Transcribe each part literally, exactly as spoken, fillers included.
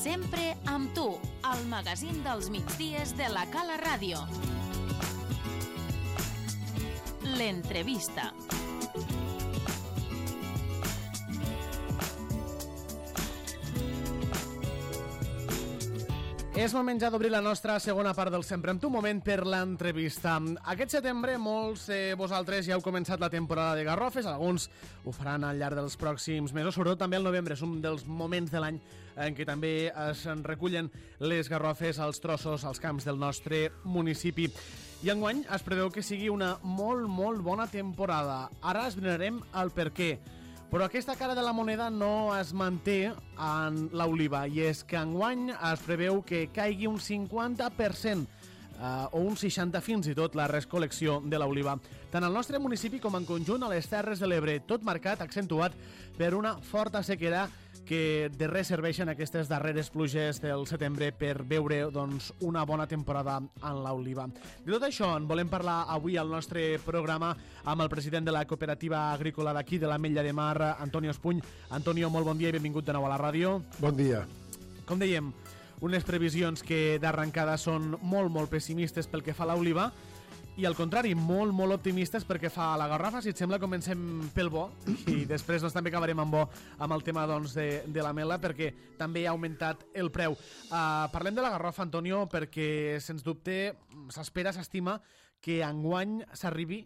Sempre amb tu, al magazín dels migdies de la Cala Ràdio. L'entrevista. És moment ja d'obrir la nostra segona part del Sempre amb tu, moment per l'entrevista. Aquest setembre molts de eh, vosaltres ja heu començat la temporada de garrofes, alguns ho faran al llarg dels pròxims mesos, sobretot també el novembre, és un dels moments de l'any en què també es recullen les garrofes als trossos, als camps del nostre municipi. I enguany es preveu que sigui una molt, molt bona temporada. Ara esbrinarem el per què. Però aquesta cara de la moneda no es manté en l'oliva, i és que enguany es preveu que caigui un cinquanta per cent eh, o un seixanta per cent fins i tot la recol·lecció de l'oliva. Tant al nostre municipi com en conjunt a les Terres de l'Ebre, tot marcat, accentuat per una forta sequera que de res serveixen aquestes darreres pluges del setembre per veure doncs, una bona temporada en l'oliva. De tot això en volem parlar avui al nostre programa amb el president de la cooperativa agrícola d'aquí, de l'Ametlla de Mar, Antonio Espuny. Antonio, molt bon dia i benvingut de nou a la ràdio. Bon dia. Com dèiem, unes previsions que d'arrencada són molt, molt pessimistes pel que fa a l'oliva, i al contrari, molt, molt optimistes perquè fa la garrafa. Si et sembla, comencem pel bo i després doncs, també acabarem amb bo amb el tema doncs, de, de la mela, perquè també ha augmentat el preu. Uh, parlem de la garrafa, Antonio, perquè sens dubte s'espera, s'estima que enguany s'arribi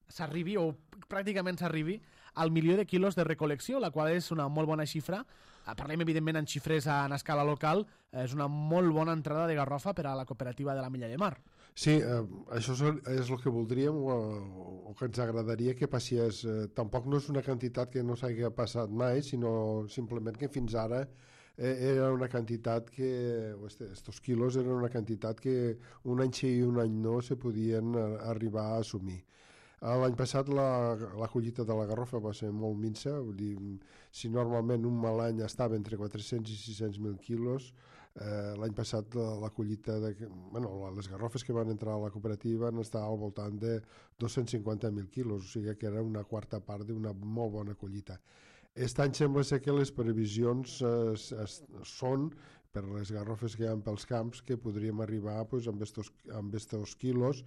s'arribi o pràcticament s'arribi al milió de quilos de recol·lecció, la qual és una molt bona xifra. Parlem evidentment en xifres en escala local, és una molt bona entrada de garrofa per a la cooperativa de l'Ametlla de Mar. Sí, eh, això és el que voldríem o, o que ens agradaria que passés. Eh, tampoc no és una quantitat que no s'hagi passat mai, sinó simplement que fins ara eh, era una quantitat que, estos quilos eren una quantitat que un any sí i un any no se podien arribar a assumir. L'any passat la, la collita de la garrofa va ser molt minsa, vull dir, si normalment un mal any estava entre quatre-cents i sis-cents mil quilos, eh, l'any passat la, la collita, de, bueno, les garrofes que van entrar a la cooperativa van estar al voltant de dos-cents cinquanta mil quilos, o sigui que era una quarta part d'una molt bona collita. Aquest any sembla ser que les previsions eh, es, són, per les garrofes que hi ha pels camps, que podríem arribar pues, amb estos, amb estos quilos,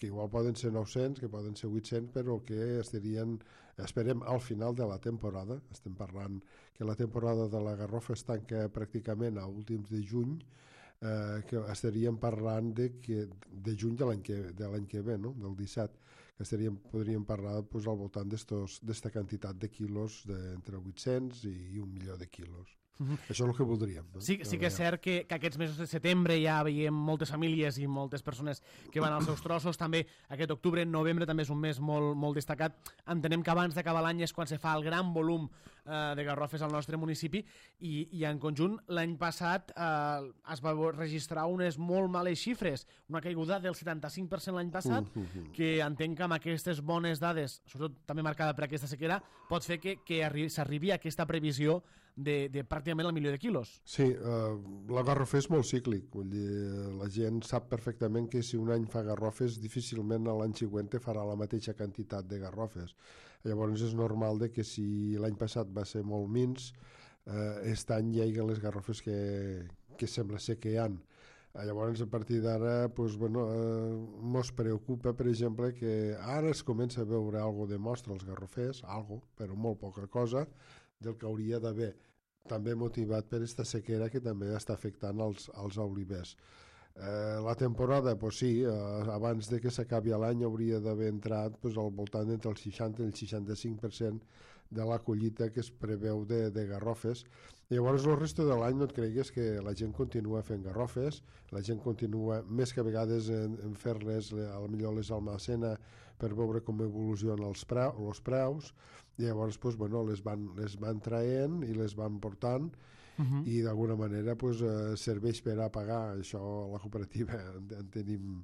que igual poden ser nou-cents, que poden ser vuit-cents, però que estarien, esperem, al final de la temporada. Estem parlant que la temporada de la garrofa es tanca pràcticament a últims de juny, eh, que estaríem parlant de, que, de juny de l'any que, de l'any que ve, no? Del disset, que estaríem, podríem parlar pues, al voltant d'esta quantitat de quilos d'entre vuit-cents i un milió de quilos. Uh-huh. Això és el que voldríem. No? Sí, sí que és cert que, que aquests mesos de setembre ja veiem moltes famílies i moltes persones que van als seus trossos. També aquest octubre, novembre també és un mes molt, molt destacat. Entenem que abans d'acabar l'any és quan se fa el gran volum eh, de garrofes al nostre municipi, i, i en conjunt l'any passat eh, es va registrar unes molt males xifres, una caiguda del setanta-cinc per cent l'any passat, uh-huh. que entenc que amb aquestes bones dades, sobretot també marcada per aquesta sequera, pot fer que, que s'arribi a aquesta previsió de, de pràcticament el milió de quilos. Sí, eh, la garrofa és molt cíclic, vull dir, la gent sap perfectament que si un any fa garrofes, difícilment l'any següent farà la mateixa quantitat de garrofes. Llavors és normal de que si l'any passat va ser molt minç, eh, aquest any hi ha les garrofes que, que sembla ser que hi ha. Llavors, a partir d'ara, pues, bueno, eh, mos preocupa, per exemple, que ara es comença a veure alguna de mostra als garrofers, algo, però molt poca cosa, del que hauria d'haver, també motivat per aquesta sequera que també està afectant els, els olivers. Eh, la temporada, pues sí, eh, abans de que s'acabi l'any hauria d'haver entrat pues, al voltant entre el seixanta i el seixanta-cinc per cent de la collita que es preveu de, de garrofes. Llavors el resto de l'any no et cregues que la gent continua fent garrofes, la gent continua més que a vegades en, en fer-les, a lo millor les almacena per veure com evolucionen els, preu, els preus, i llavors pues, bueno, les, van, les van traient i les van portant, uh-huh. i d'alguna manera pues, eh, serveix per a pagar. Això la cooperativa en, en tenim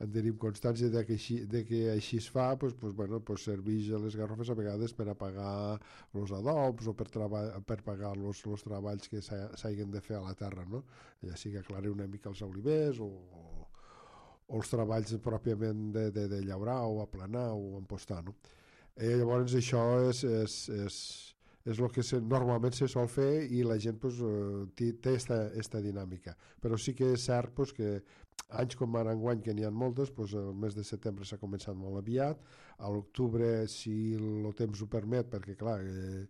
en tenim constància de que així, de que així es fa, pues, pues, bueno, pues serveix a les garrofes a vegades per a pagar els adobs o per, treba, per pagar els treballs que s'hagin de fer a la terra, no? Ja sigui aclarir una mica els olivers o, o, o els treballs pròpiament de, de, de llaurar o aplanar o empostar, no? I llavors això és, és, és, és el que se, normalment se sol fer i la gent pues, té aquesta dinàmica. Però sí que és cert pues, que anys com ara enguany, que n'hi ha moltes, pues, el mes de setembre s'ha començat molt aviat, a l'octubre, si el temps ho permet, perquè clar, eh,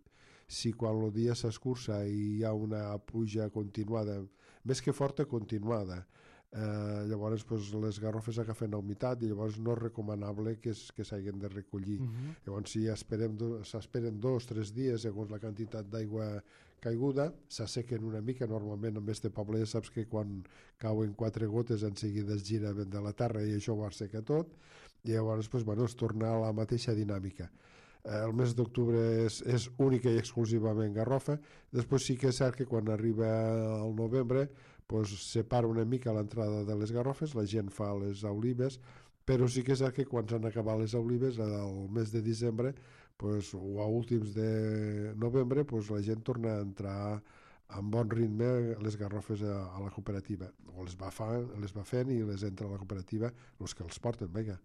si quan el dia s'escurça i hi ha una pluja continuada, més que forta, continuada, Eh, llavors pues, les garrofes agafen humitat i llavors no és recomanable que, es, que s'hagin de recollir. Uh-huh. Llavors si esperem do, s'esperen dos o tres dies segons la quantitat d'aigua caiguda, s'assequen una mica. Normalment en este poble ja saps que quan cauen quatre gotes en seguida es gira de la terra i això ho asseca tot i llavors pues, bueno, es torna a la mateixa dinàmica. Eh, el mes d'octubre és, és única i exclusivament garrofa. Després sí que és cert que quan arriba el novembre pues, separa una mica l'entrada de les garrofes, la gent fa les olives, però sí que és cert que quan s'han acabat les olives el mes de desembre pues, o a últims de novembre pues, la gent torna a entrar amb bon ritme les garrofes a, a la cooperativa, o les va, fa, les va fent i les entra a la cooperativa els que els porten, vinga.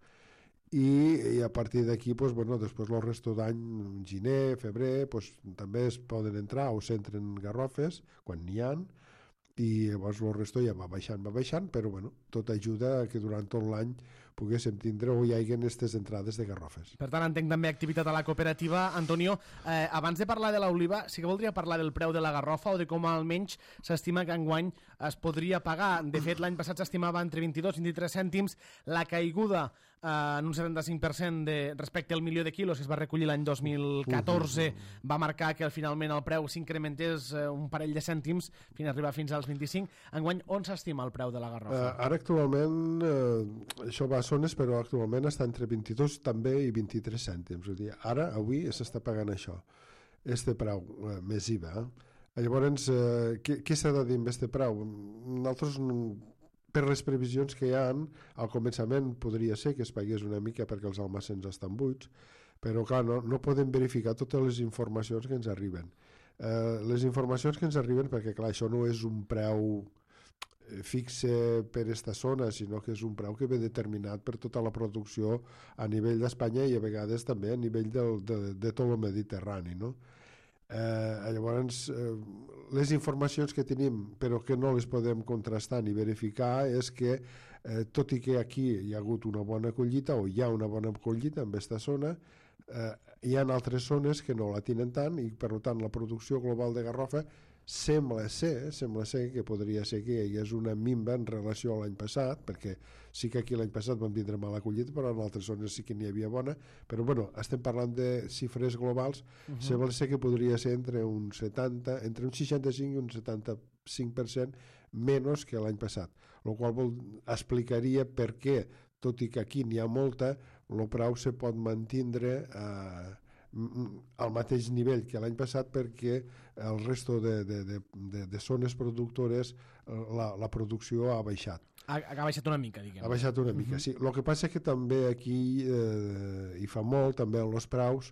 I, i a partir d'aquí pues, bueno, després el resto d'any, gener, febrer pues, també es poden entrar o s'entren garrofes quan n'hi ha, i llavors el resto ja va baixant, va baixant, però bueno, tot ajuda a que durant tot l'any poguéssim tindre o hi hagi aquestes entrades de garrofes. Per tant, entenc també activitat a la cooperativa. Antonio, eh, abans de parlar de l'oliva, sí que voldria parlar del preu de la garrofa o de com almenys s'estima que enguany es podria pagar. De fet, l'any passat s'estimava entre vint-i-dos i vint-i-tres cèntims. La caiguda eh, en un setanta-cinc per cent de, respecte al milió de quilos que es va recollir l'any dos mil catorze va marcar que finalment el preu s'incrementés eh, un parell de cèntims fins a arribar fins als vint-i-cinc. Enguany, on s'estima el preu de la garrofa? Uh, ara actualment, uh, això va a zones, però actualment està entre vint-i-dos també i vint-i-tres cèntims. Vull dir, ara, avui, s'està pagant això, este preu, uh, més I V A. Llavors, uh, què, què s'ha de dir amb este preu? Nosaltres, per les previsions que hi ha, al començament podria ser que es pagués una mica perquè els almacens estan buits, però clar, no, no podem verificar totes les informacions que ens arriben. Uh, les informacions que ens arriben, perquè clar, això no és un preu fixe per esta zona, sinó que és un preu que ve determinat per tota la producció a nivell d'Espanya i a vegades també a nivell del, de, de tot el Mediterrani, no? Eh, llavors, eh, les informacions que tenim però que no les podem contrastar ni verificar és que eh, tot i que aquí hi ha hagut una bona collita o hi ha una bona collita en aquesta zona, eh, hi ha altres zones que no la tenen tant i per tant la producció global de garrofa sembla ser, sembla ser que podria ser que hi hagués una minva en relació a l'any passat, perquè sí que aquí l'any passat vam tindre mala collita, però en altres zones sí que n'hi havia bona, però bueno, estem parlant de xifres globals, uh-huh. Sembla ser que podria ser entre un setanta, entre un seixanta-cinc i un setanta-cinc per cent menys que l'any passat, el qual vol, explicaria per què, tot i que aquí n'hi ha molta, el preu se pot mantindre eh, al mateix nivell que l'any passat perquè el resto de, de, de, de, de zones productores la, la producció ha baixat. Ha, ha baixat una mica, diguem. Ha baixat una mica, uh-huh. Sí. El que passa és que també aquí, eh, hi fa molt, també en els preus,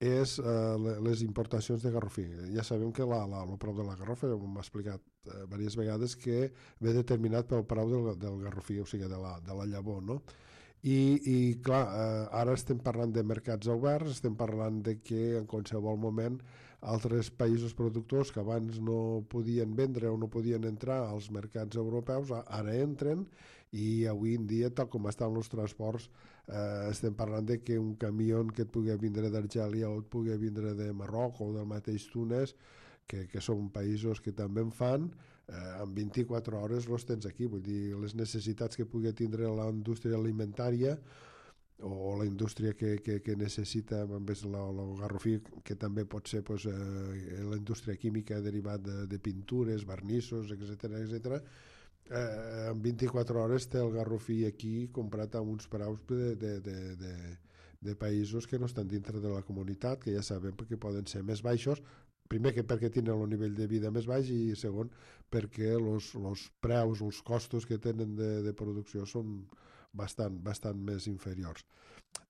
és eh, les importacions de garrofí. Ja sabem que la, la, el preu de la garrofa, m'ha explicat eh, diverses vegades, que ve determinat pel preu del, del garrofí, o sigui, de la, de la llavor, no? I, i clar, eh, ara estem parlant de mercats oberts, estem parlant de que en qualsevol moment altres països productors que abans no podien vendre o no podien entrar als mercats europeus, ara entren i avui en dia, tal com estan els transports, eh, estem parlant de que un camió que et pugui vindre d'Argèlia o et pugui vindre de Marroc o del mateix Túnez, que, que són països que també en fan, eh, en vint-i-quatre hores els tens aquí. Vull dir, les necessitats que pugui tindre la indústria alimentària o la indústria que, que, que necessita el garrofí, que també pot ser pues, eh, la indústria química derivat de, de pintures, vernissos, etcètera, etcètera. Eh, en vint-i-quatre hores té el garrofí aquí comprat a uns preus de, de, de, de, de països que no estan dintre de la comunitat, que ja sabem que poden ser més baixos, primer que perquè tenen el nivell de vida més baix i segon perquè els preus, els costos que tenen de, de producció són bastant, bastant més inferiors.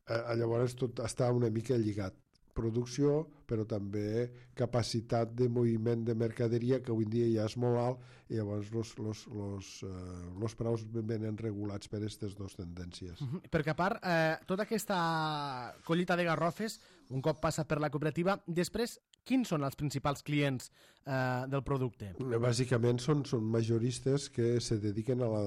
Eh, llavors tot està una mica lligat. Producció, però també capacitat de moviment de mercaderia, que avui en dia ja és molt alt, i llavors els preus venen regulats per aquestes dues tendències. Uh-huh. Perquè a part, eh, tota aquesta collita de garrofes, un cop passa per la cooperativa. Després, quins són els principals clients eh, del producte? Bàsicament són, són majoristes que se dediquen a, la,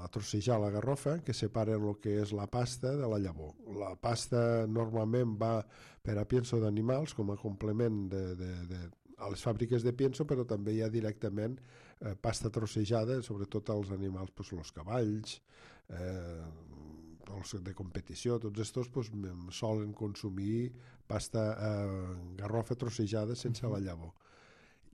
a trossejar la garrofa, que separen el que és la pasta de la llavor. La pasta normalment va per a pienso d'animals com a complement de, de, de, a les fàbriques de pienso, però també hi ha directament eh, pasta trossejada, sobretot als animals, doncs, els cavalls, eh, els de competició, tots estos pues, solen consumir pasta eh, garrofa trossejada sense la llavor.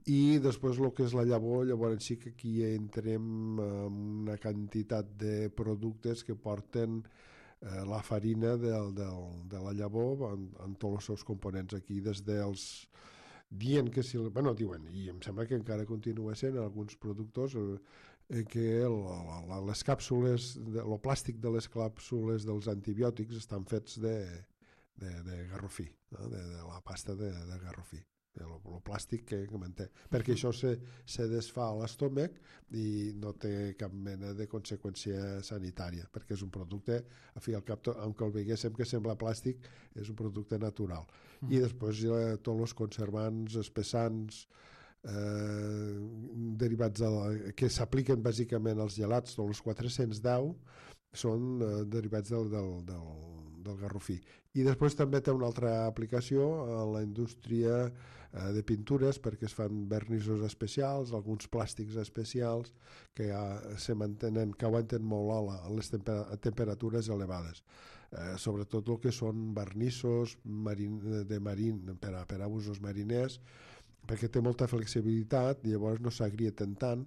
I després el que és la llavor, llavors sí que aquí entrem en una quantitat de productes que porten eh, la farina del, del, de la llavor en, en tots els seus components aquí, des dels dient que si... Bueno, diuen, i em sembla que encara continua sent alguns productors eh, que el, la, les càpsules, el plàstic de les càpsules dels antibiòtics estan fets de, de, de garrofí, no? de, de la pasta de, de garrofí, el, el plàstic que, que manté, perquè això se, se desfà a l'estómac i no té cap mena de conseqüència sanitària, perquè és un producte, a fi al cap, aunque el veiéssim que sembla plàstic, és un producte natural. Mm. I després hi ha tots els conservants, espessants, Eh, derivats de la, que s'apliquen bàsicament als gelats, tots els quatre-cents deu són eh, derivats del, del, del, del garrofí. I després també té una altra aplicació a la indústria eh, de pintures, perquè es fan vernissos especials, alguns plàstics especials que ja se mantenen, que aguanten molt a, la, a les temper temperatures elevades. Eh, sobretot el que són vernissos marin, de marin, per a, per a usos mariners, perquè té molta flexibilitat i llavors no s'agrieten tant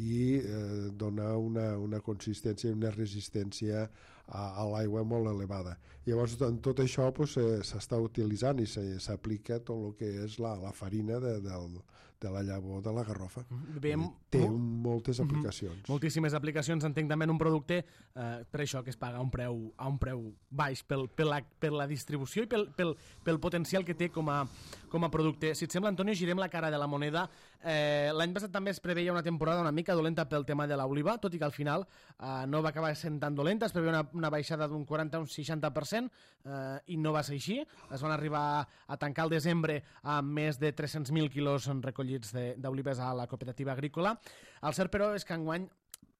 i eh, dona una, una consistència i una resistència a, a l'aigua molt elevada. Llavors, en tot això pues, s'està utilitzant i s'aplica tot el que és la, la farina de, del, de la llavor de la garrofa. Veiem... Té moltes aplicacions. Mm-hmm. Moltíssimes aplicacions. Entenc també en un producte eh, per això que es paga a un preu, a un preu baix pel, per, la, per la distribució i pel, pel, pel potencial que té com a, com a producte. Si et sembla, Antonio, girem la cara de la moneda. Eh, L'any passat també es preveia una temporada una mica dolenta pel tema de l'oliva, tot i que al final eh, no va acabar sent tan dolenta. Es preveia una, una baixada d'un quaranta a un seixanta per cent eh, i no va ser així. Es van arribar a tancar el desembre amb més de tres-cents mil quilos recollits d'olives a la cooperativa agrícola. El cert, però, és que enguany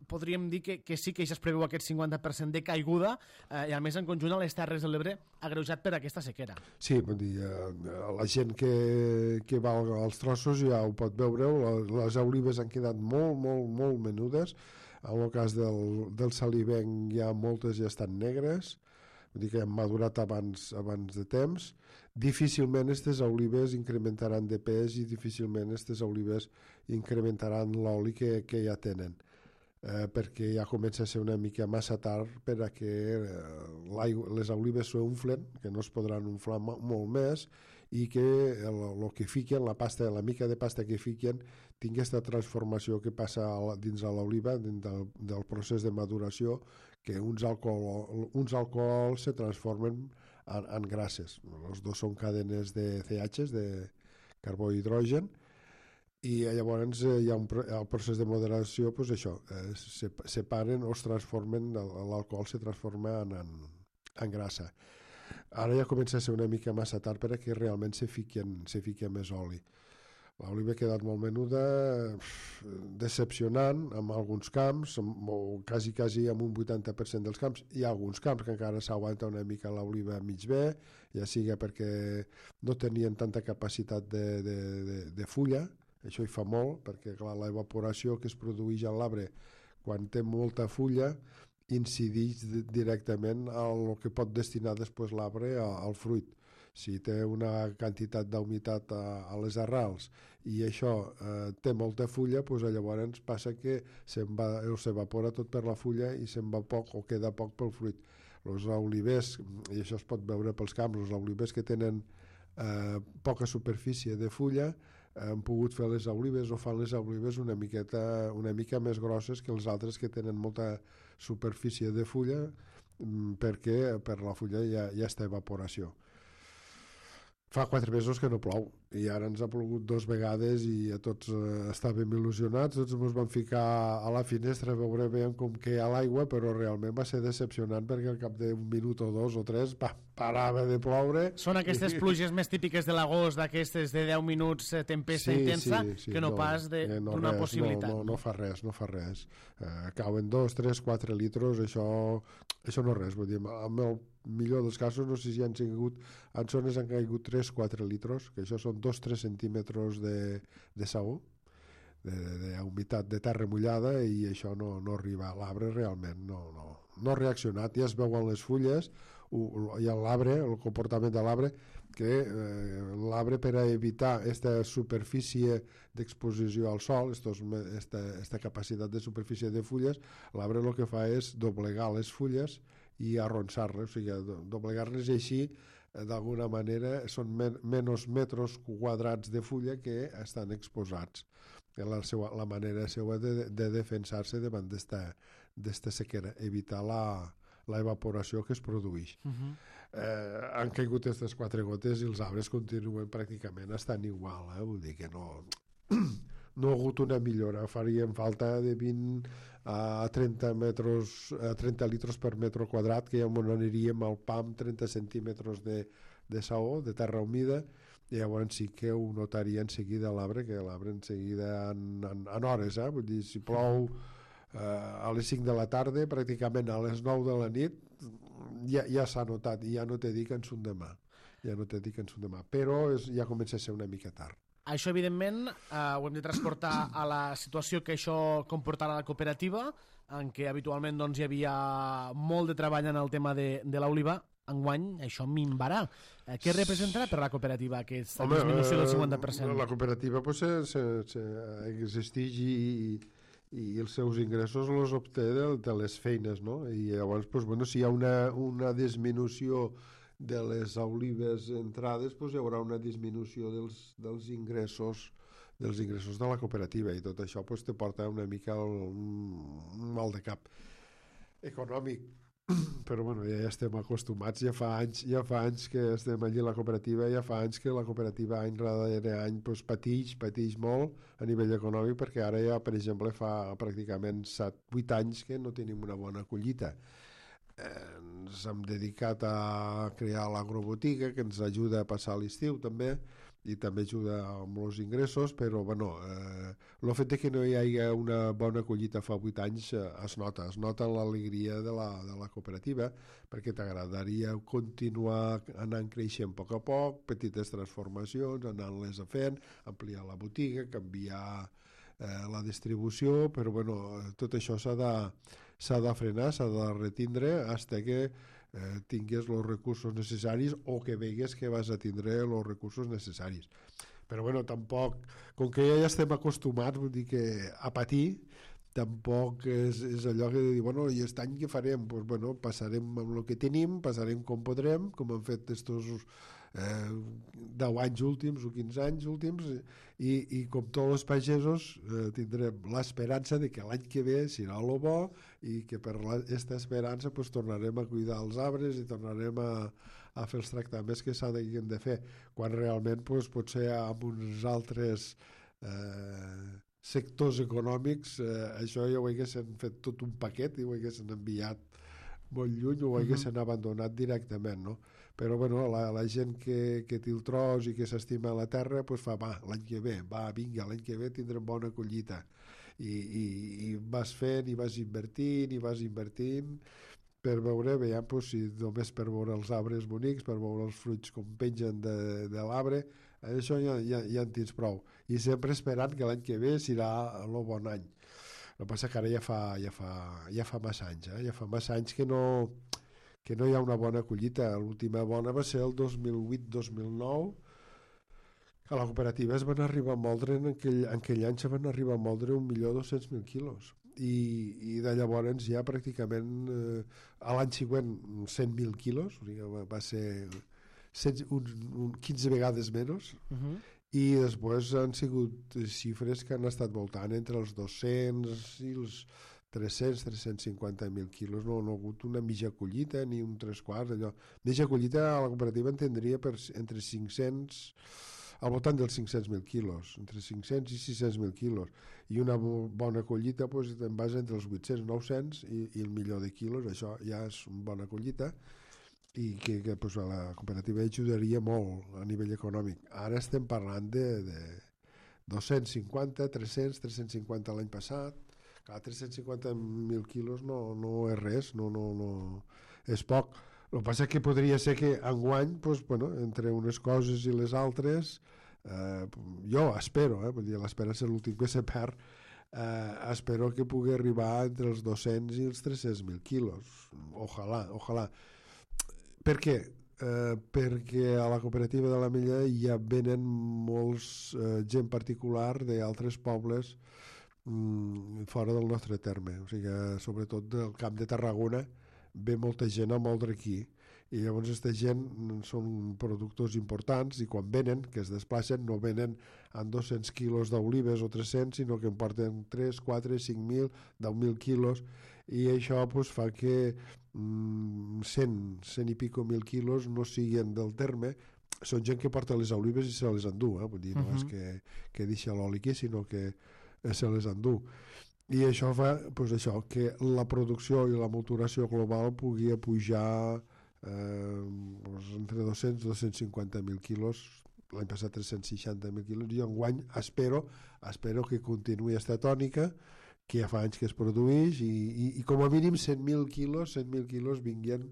podríem dir que, que sí que ja es preveu aquest cinquanta per cent de caiguda eh, i a més en conjunt a les Terres de l'Ebre agreujat per aquesta sequera. Sí, vull dir, eh, la gent que, que va als trossos ja ho pot veure, les olives han quedat molt, molt, molt menudes. En el cas del, del salivenc ja moltes ja estan negres, vull dir que han madurat abans, abans de temps. Difícilment aquestes olives incrementaran de pes i difícilment aquestes olives incrementaran l'oli que, que ja tenen. Eh, perquè ja comença a ser una mica massa tard per a que eh, les olives s'unflen, que no es podran unflar molt més i que el, el que fiquen, la pasta, la mica de pasta que fiquen tingui aquesta transformació que passa a, dins de l'oliva, dins del, del procés de maduració, que uns alcohol, uns alcohols se transformen en, en grasses. Els dos són cadenes de C H, de carbó i hidrogen, i llavors eh, hi ha un, el procés de moderació, doncs això, eh, se separen o es transformen, l'alcohol se transforma en, en, en grassa. Ara ja comença a ser una mica massa tard perquè realment se fiquen, se fiquen més oli. L'oliva ha quedat molt menuda, decepcionant en alguns camps, o quasi, quasi en un vuitanta per cent dels camps. Hi ha alguns camps que encara s'aguanta una mica l'oliva mig bé, ja siga perquè no tenien tanta capacitat de, de, de, de fulla. Això hi fa molt, perquè clar, l'evaporació que es produeix a l'arbre quan té molta fulla incideix directament al que pot destinar després l'arbre al fruit. Si té una quantitat d'humitat a, a les arrels i això eh, té molta fulla, doncs llavors passa que s'evapora tot per la fulla i se'n va poc o queda poc pel fruit. Els olivers, i això es pot veure pels camps, els olivers que tenen eh, poca superfície de fulla han pogut fer les olives o fan les olives una miqueta, una mica més grosses que els altres que tenen molta superfície de fulla perquè per la fulla hi ha, hi ha esta evaporació. fa quatre mesos que no plou i ara ens ha plogut dos vegades i a tots eh, estàvem il·lusionats, tots ens vam ficar a la finestra a veure bé com queia l'aigua, però realment va ser decepcionant perquè al cap d'un minut o dos o tres pa, parava de ploure. Són aquestes pluges més típiques de l'agost, d'aquestes de deu minuts eh, tempesta sí, intensa, sí, sí, que no, no pas d'una eh, no possibilitat. No, no, no fa res, no fa res. Eh, cauen dos, tres, quatre litros, això, això no és res. Vull dir, amb el millor dels casos, no sé si han sigut, en zones han caigut tres quatre litros, que això són dos tres centímetres de, de saó, d'humitat de, de, de terra mullada, i això no, no arriba a l'arbre realment, no, no, no ha reaccionat, ja es veuen les fulles, i l'arbre, el comportament de l'arbre, que eh, l'arbre, per a evitar aquesta superfície d'exposició al sol, aquesta capacitat de superfície de fulles, l'arbre el que fa és doblegar les fulles i arronsar-les, o sigui, doblegar-les, i així d'alguna manera són men menys metres quadrats de fulla que estan exposats. La, seva, la manera seva de, de defensar-se davant d'esta sequera, evitar la, la evaporació que es produeix. Uh -huh. eh, han caigut aquestes quatre gotes i els arbres continuen pràcticament estant igual, eh? Vull dir que no, no ha hagut una millora, farien falta de vint a trenta metres, a trenta litros per metre quadrat, que ja aniríem al pam trenta centímetres de, de saó, de terra humida, i llavors sí que ho notaria en seguida l'arbre, que l'arbre en seguida en, en, en hores, eh? Vull dir, si plou eh, a les cinc de la tarda, pràcticament a les nou de la nit ja, ja s'ha notat, i ja no t'he dit que en són demà, ja no t'he dit que en són demà, però és, ja comença a ser una mica tard. Això, evidentment, eh, ho hem de transportar a la situació que això comportarà la cooperativa, en què habitualment doncs, hi havia molt de treball en el tema de, de l'oliva. Enguany això minvarà. Eh, què representarà per la cooperativa aquesta Home, disminució del cinquanta per cent? La cooperativa pues, se, se, se existeix i, i els seus ingressos els obté de, de les feines, no? I llavors, pues, bueno, si hi ha una, una disminució de les olives entrades, pues, hi haurà una disminució dels, dels ingressos dels ingressos de la cooperativa, i tot això pues, te porta una mica un, un mal de cap econòmic. Però bueno, ja estem acostumats, ja fa anys, ja fa anys que estem allí a la cooperativa, ja fa anys que la cooperativa any darrere any pues, patix, patix molt a nivell econòmic, perquè ara ja, per exemple, fa pràcticament set vuit anys que no tenim una bona collita. Eh, ens hem dedicat a crear l'agrobotiga, que ens ajuda a passar l'estiu també, i també ajuda amb els ingressos, però bueno, eh, el fet que no hi hagi una bona collita fa vuit anys eh, es nota, es nota l'alegria de, la, de la cooperativa, perquè t'agradaria continuar anant creixent a poc a poc, petites transformacions, anant-les fent, ampliar la botiga, canviar eh, la distribució, però bueno, tot això s'ha de, s'ha de frenar, s'ha de retindre fins que Eh, tingues els recursos necessaris o que vegues que vas a tindre els recursos necessaris. Però bueno, tampoc, com que ja estem acostumats, vull dir que a patir, tampoc és, és allò que dir, bueno, i aquest any què farem? Pues, bueno, passarem amb el que tenim, passarem com podrem, com han fet estos eh, deu anys últims o quinze anys últims, i, i com tots els pagesos eh, tindrem l'esperança de que l'any que ve serà el bo, i que per aquesta esperança pues, tornarem a cuidar els arbres i tornarem a, a fer els tractaments que s'han de fer, quan realment pues, potser amb uns altres eh, sectors econòmics eh, això ja ho haguessin fet tot un paquet i ho haguessin enviat molt lluny o ho haguessin uh-huh. abandonat directament, no? Però bueno, la, la gent que, que té el tros i que s'estima la terra pues fa, va, l'any que ve, va, vinga, l'any que ve tindrem bona collita. I, i, i vas fent i vas invertint i vas invertint per veure, veiem, pues, si només per veure els arbres bonics, per veure els fruits com pengen de, de l'arbre, això ja, ja, ja en tens prou. I sempre esperant que l'any que ve serà el bon any. El que passa que ara ja fa, ja fa, ja fa massa anys, eh? ja fa massa anys que no, que no hi ha una bona collita. L'última bona va ser el dos mil vuit dos mil nou, a la cooperativa es van arribar a moldre, en aquell, en aquell any se van arribar a moldre un milió dos-cents mil quilos. I, i de llavors ja pràcticament eh, a l'any següent cent mil quilos, o sigui, va, va ser cent, un, un quinze vegades menys, uh-huh. i després han sigut xifres que han estat voltant entre els dos-cents i els tres-cents a tres-cents cinquanta mil quilos, no, no ha hagut una mitja collita ni un tres quarts, allò. Mitja collita a la cooperativa en tindria per, entre cinc-cents, al voltant dels cinc-cents mil quilos, entre cinc-cents i sis-cents mil quilos, i una bona collita pues, en base entre els vuit-cents i nou-cents i, i el milió de quilos, això ja és una bona collita, i que, que pues, a la cooperativa ajudaria molt a nivell econòmic. Ara estem parlant de, de dos-cents cinquanta, tres-cents, tres-cents cinquanta l'any passat. Clar, tres-cents cinquanta mil quilos no, no és res, no, no, no, és poc. El que passa és que podria ser que enguany, pues, bueno, entre unes coses i les altres, eh, jo espero, eh, vull dir, l'esperança és l'últim que se perd, eh, espero que pugui arribar entre els dos-cents i els tres-cents mil quilos. Ojalà, ojalà. Per què? Eh, perquè a la cooperativa de l'Ametlla ja venen molts eh, gent particular d'altres pobles mm, fora del nostre terme, o sigui, sobretot del Camp de Tarragona ve molta gent a moldre aquí i llavors aquesta gent són productors importants i quan venen, que es desplacen, no venen amb dos-cents quilos d'olives o tres-cents, sinó que en porten tres, quatre, cinc mil, deu mil quilos i això pues, fa que mm, cent, cent i pico mil quilos no siguin del terme. Són gent que porta les olives i se les endú, eh? Vull dir, no uh-huh. és que, que deixa l'oli aquí, sinó que se les endú. I això fa pues, això, que la producció i la maturació global pugui pujar eh, pues, entre dos-cents i dos-cents cinquanta mil quilos, l'any passat tres-cents seixanta mil quilos, i enguany espero, espero que continuï aquesta tònica, que ja fa anys que es produeix, i, i, i com a mínim cent mil quilos, cent mil quilos vinguin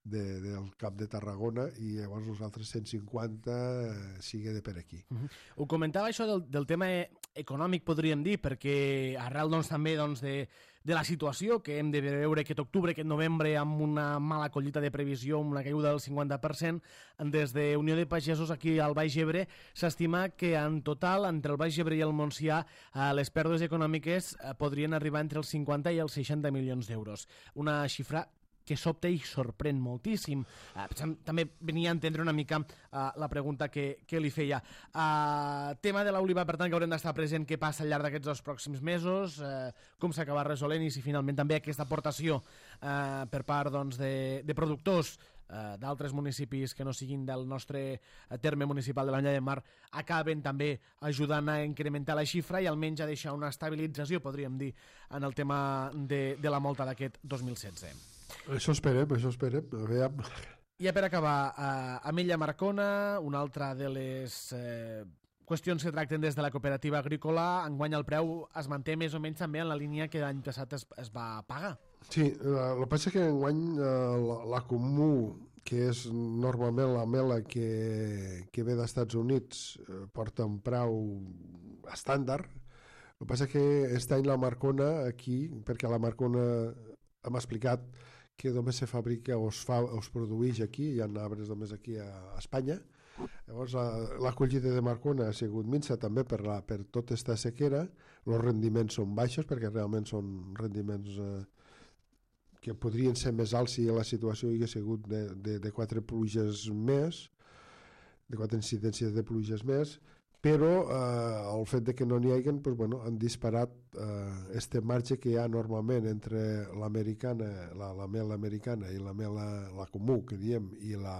de, del Camp de Tarragona i llavors els altres cent cinquanta eh, sigui de per aquí. Uh-huh. Ho comentava això del, del tema econòmic, podríem dir, perquè arrel doncs, també doncs, de, de la situació que hem de veure aquest octubre, aquest novembre, amb una mala collita de previsió, amb una caiguda del cinquanta per cent, des de Unió de Pagesos aquí al Baix Ebre s'estima que en total, entre el Baix Ebre i el Montsià, eh, les pèrdues econòmiques eh, podrien arribar entre els cinquanta i els seixanta milions d'euros. Una xifra que sobta i sorprèn moltíssim. Uh, també venia a entendre una mica uh, la pregunta que, que li feia. Uh, tema de l'oliva, per tant, que haurem d'estar present què passa al llarg d'aquests dos pròxims mesos, uh, com s'acaba resolent i si finalment també aquesta aportació uh, per part doncs, de, de productors uh, d'altres municipis que no siguin del nostre terme municipal de l'Ametlla de Mar acaben també ajudant a incrementar la xifra i almenys a deixar una estabilització, podríem dir, en el tema de, de la molta d'aquest dos mil setze. Això esperem, això esperem, a veure. I per acabar, uh, Ametlla Marcona, una altra de les eh, qüestions que tracten des de la cooperativa agrícola, enguany el preu es manté més o menys també en la línia que l'any passat es, es va pagar. Sí, el que passa és que enguany eh, la, la comú, que és normalment la mela que, que ve d'Estats Units, eh, porta un preu estàndard. El que passa és que aquest any la Marcona aquí, perquè la Marcona hem explicat que només se fabrica o es, fa, o es produeix aquí, hi ha arbres només aquí a, a Espanya. Llavors la, la collita de Marcona ha sigut minsa també per, la, per tota aquesta sequera, els rendiments són baixos perquè realment són rendiments eh, que podrien ser més alts si la situació hi hagués sigut de, de, de quatre pluges més, de quatre incidències de pluges més, però eh, el fet de que no n'hi hagin pues, bueno, han disparat eh, este marge que hi ha normalment entre l'americana, la, la mel americana i la mel la comú, que diem, i la,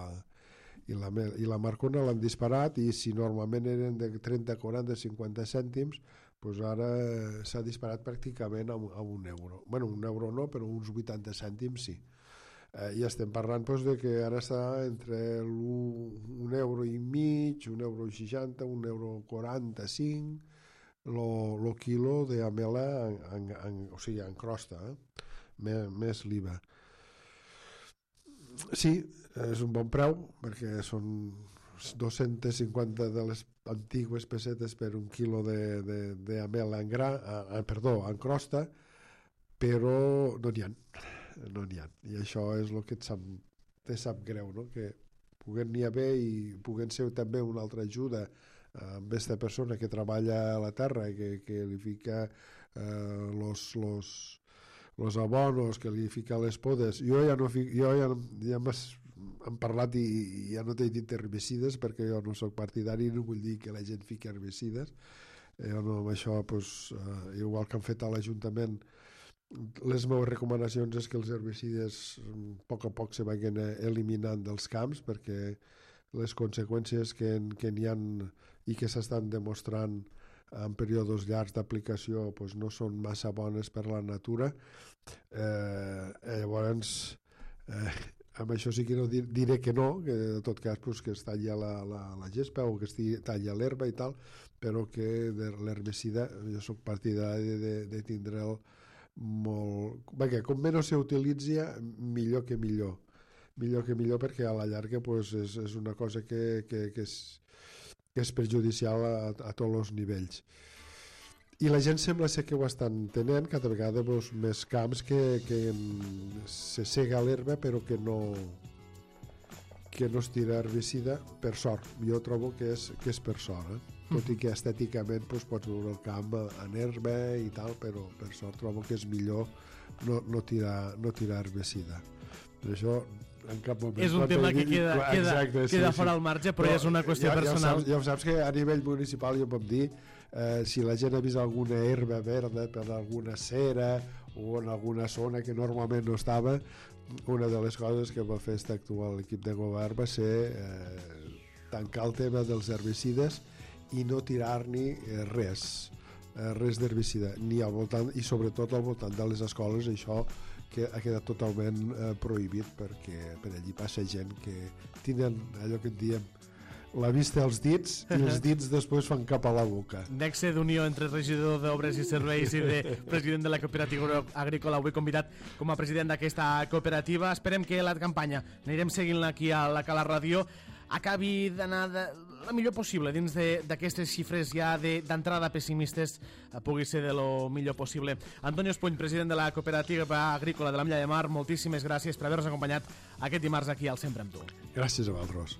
i la, mel, i la Marcona l'han disparat, i si normalment eren de trenta, quaranta, cinquanta cèntims, pues ara s'ha disparat pràcticament a, a un euro. Bueno, un euro no, però uns vuitanta cèntims sí. Eh, I estem parlant pues, de que ara està entre un euro i mig, un euro seixanta, un euro quaranta-cinc, el quilo d'amela en, en, en, o sigui, en crosta, eh? més, més l'I V A. Sí, és un bon preu, perquè són dos-cents cinquanta de les antigues pessetes per un quilo d'amela en gra, eh, perdó, en crosta, però no n'hi ha. no n'hi ha, i això és el que et sap, te sap greu, no? Que puguen n'hi haver i puguen ser també una altra ajuda amb aquesta persona que treballa a la terra i que, que li fica eh, los, los, los abonos, que li fica les podes. Jo ja no fic, jo ja, ja hem parlat i, i ja no t'he dit herbicides perquè jo no soc partidari, no vull dir que la gent fiqui herbicides. Jo no, amb això, pues, eh, igual que han fet a l'Ajuntament les meves recomanacions és que els herbicides a poc a poc se vagin eliminant dels camps, perquè les conseqüències que, que n'hi ha i que s'estan demostrant en períodes llargs d'aplicació pues, no són massa bones per a la natura. Eh, llavors, eh, amb això sí que no dir, diré que no, que en tot cas pues, que es talli la, la, la gespa o que es talli l'herba i tal, però que de l'herbicida jo soc partidari de, de, de tindre'l molt... Perquè com menys s'utilitzi, millor que millor. Millor que millor perquè a la llarga pues, és, és una cosa que, que, que, és, que és perjudicial a, a tots els nivells. I la gent sembla ser que ho estan tenint, cada vegada pues, més camps que, que se sega l'herba però que no, que no es tira herbicida, per sort. Jo trobo que és, que és per sort, eh? Tot i que estèticament pues, pots veure el camp en herba i tal, però per sort trobo que és millor no, no, tirar, no tirar herbicida. Per això en cap moment... És un tema que queda, queda, Exacte, queda sí, fora sí. al marge, però, però és una qüestió ja, personal. Ja, ja saps que a nivell municipal jo puc dir eh, si la gent ha vist alguna herba verda per alguna cera o en alguna zona que normalment no estava, una de les coses que va fer este actual equip de govern va ser eh, tancar el tema dels herbicides i no tirar-ni res, res d'herbicida, ni al voltant, i sobretot al voltant de les escoles, això que ha quedat totalment eh, prohibit, perquè per allí passa gent que tenen allò que en diem la vista als dits i els dits després fan cap a la boca. Nexe d'unió entre regidor d'Obres i Serveis i de president de la cooperativa agrícola, avui convidat com a president d'aquesta cooperativa. Esperem que la campanya, anirem seguint-la aquí a la Cala Ràdio, acabi d'anar de la millor possible dins d'aquestes xifres ja d'entrada pessimistes, pugui ser de lo millor possible. Antonio Espuny, president de la cooperativa agrícola de l'Ametlla de Mar, moltíssimes gràcies per haver-nos acompanyat aquest dimarts aquí al Sempre amb tu. Gràcies a vosaltres.